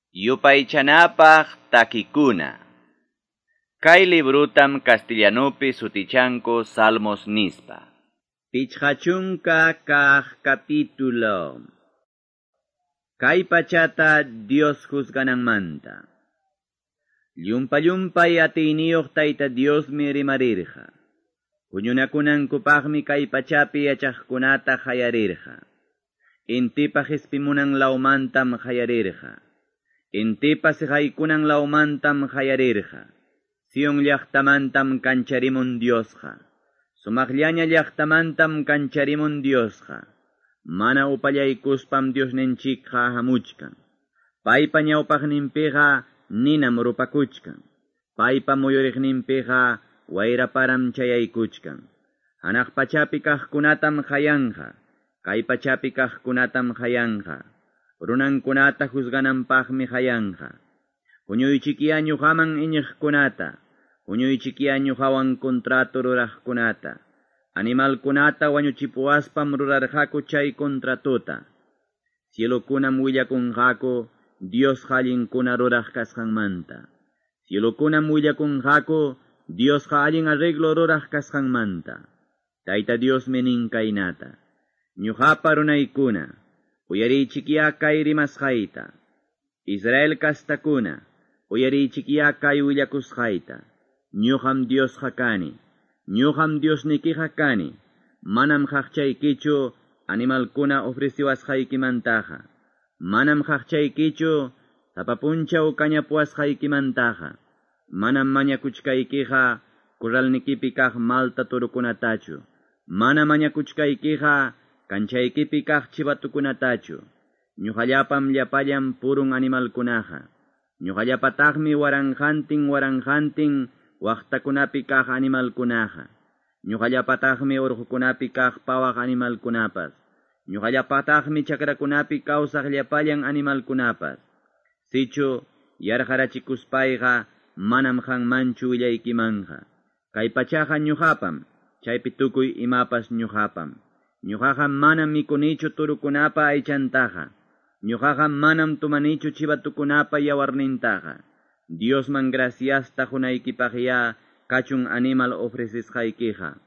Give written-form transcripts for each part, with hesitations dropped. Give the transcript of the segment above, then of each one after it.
Yupaychanapaq takikuna. Kay librutam castellanupi sutichanku Salmos nispa. 50 kaq capítulo. Kay pachata Dios juzgananmanta. Llumpa llumpay atiyniyuq Tayta Diosmi rimarirqa. Huñunakunankupaqmi kay pachapi yachaqkunata qayarirqa. Intipa qispimunan lawmantam qayarirqa. Intipa siqaykunan lawmantam qayarirqa. Sion llaqtamantam kancharimun Diosqa. Sumaqllaña llaqtamantam kancharimun Diosqa. Mana upallaykuspam Diosninchikqa hamuchkan. Paypa ñawpaqninpiqa ninam rupakuchkan. Paypa muyuriqninpiqa wayraparam chayaykuchkan. Hanaq pachapi kaqkunatam qayanqa. Kay pachapi kaqkunatam qayanqa. Runankunata juzgananpaqmi qayanqa. Huñuychikiya ñuqaman iñiqkunata, huñuychikiya ñuqawan contrato ruraqkunata. Animalkunata wañuchipuwaspam rurarqaku chay contratota. Cielokunam willakunqaku Diosqa allinkuna ruraq kasqanmanta. Cielokunam willakunqaku Diosqa allin arreglo ruraq kasqanmanta. Tayta Diosmi nin kaynata. Ñuqapa runaykuna, uyariychikiya kay rimasqayta. Israel kastakuna, uyariychikiya kay willakusqayta. Ñuqam Diosqa kani, ñuqam Diosnikiqa kani. Manam qaqchaykichu animalkuna ofreciwasqaykimantaqa. Manam qaqchaykichu sapa punchaw kañapuwasqaykimantaqa. Manam mañakuchkaykiqa corralnikipi kaq malta turukunatachu. Mana mañakuchkaykiqa kanchaykipi kaq chivatukunatachu. Ñuqallapam llapallan purun animalkunaqa. Ñuqallapataqmi waranqantin waranqantin waqtakunapi kaq animalkunaqa. Ñuqallapataqmi urqukunapi kaq pawaq animalkunapas. Ñuqallapataqmi chakrakunapi kawsaq llapallan animalkunapas. Sichu yarqarachikuspayqa manam qanmanchu willaykimanqa. Kay pachaqa ñuqapam, chaypi tukuy imapas ñuqapam. Ñuqaqa manam mikunichu turukunapa aychantaqa. Ñuqaqa manam tumanichu chivatukunapa yawarnintaqa. Diosman graciasta qunaykipaqya kachun animal ofrecisqaykiqa.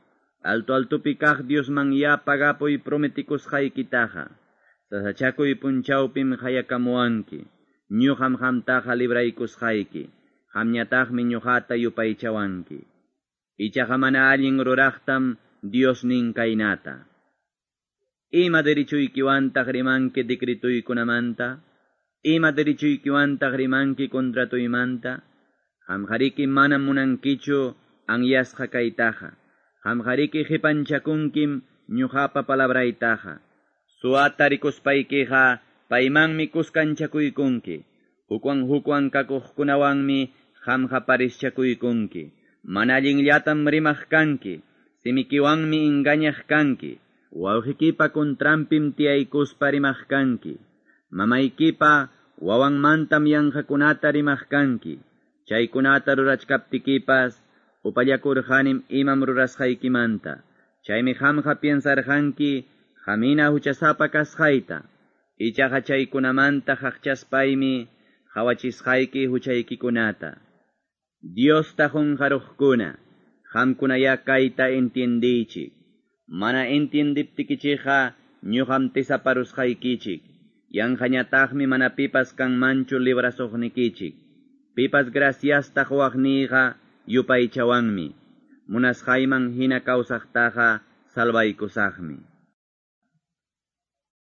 Alto altupi kaq Diosman ya pagapuy prometikusqaykitaqa. Sasachakuy punchawpim qayakamuwanki. Ñuqam qamtaqa libraykusqayki. Qamñataqmi ñuqata yupaychawanki. Ichaqa mana allin ruraqtam Dios nin kaynata. Ima derechuykiwantaq rimanki decretuykunamanta? Ima derechuykiwantaq rimanki contratuymanta? Qamqariki manam munankichu anyasqa kaytaqa. Qamqariki qipanchakunkim ñuqapa palabraytaqa. Suwata rikuspaykiqa paymanmi kuskanchakuykunki. Hukwan hukwan kakuqkunawanmi qamqa parischakuykunki. Mana allinllatam rimaq kanki, simikiwanmi engañaq kanki. Wawqikipa contranpim tiyaykuspa rimaq kanki. Mamaykipa wawanmantam yanqakunata rimaq kanki. Chaykunata rurachkaptikipas upallakurqanim imam rurasqaykimanta. Chaymi qamqa piensarqanki qamina huchasapa kasqayta. Ichaqa chaykunamanta qaqchaspaymi qhawachisqayki huchaykikunata. Diosta qunqaruqkuna, qamkunaya kayta entiendiychik. Mana entiendiptikichikqa ñuqam tisaparusqaykichik. Yanqañataqmi mana pipas kanmanchu librasuqnikichik. Pipas graciasta quwaqniyqa yupaychawanmi. Munasqayman hina kawsaqtaqa salvaykusaqmi.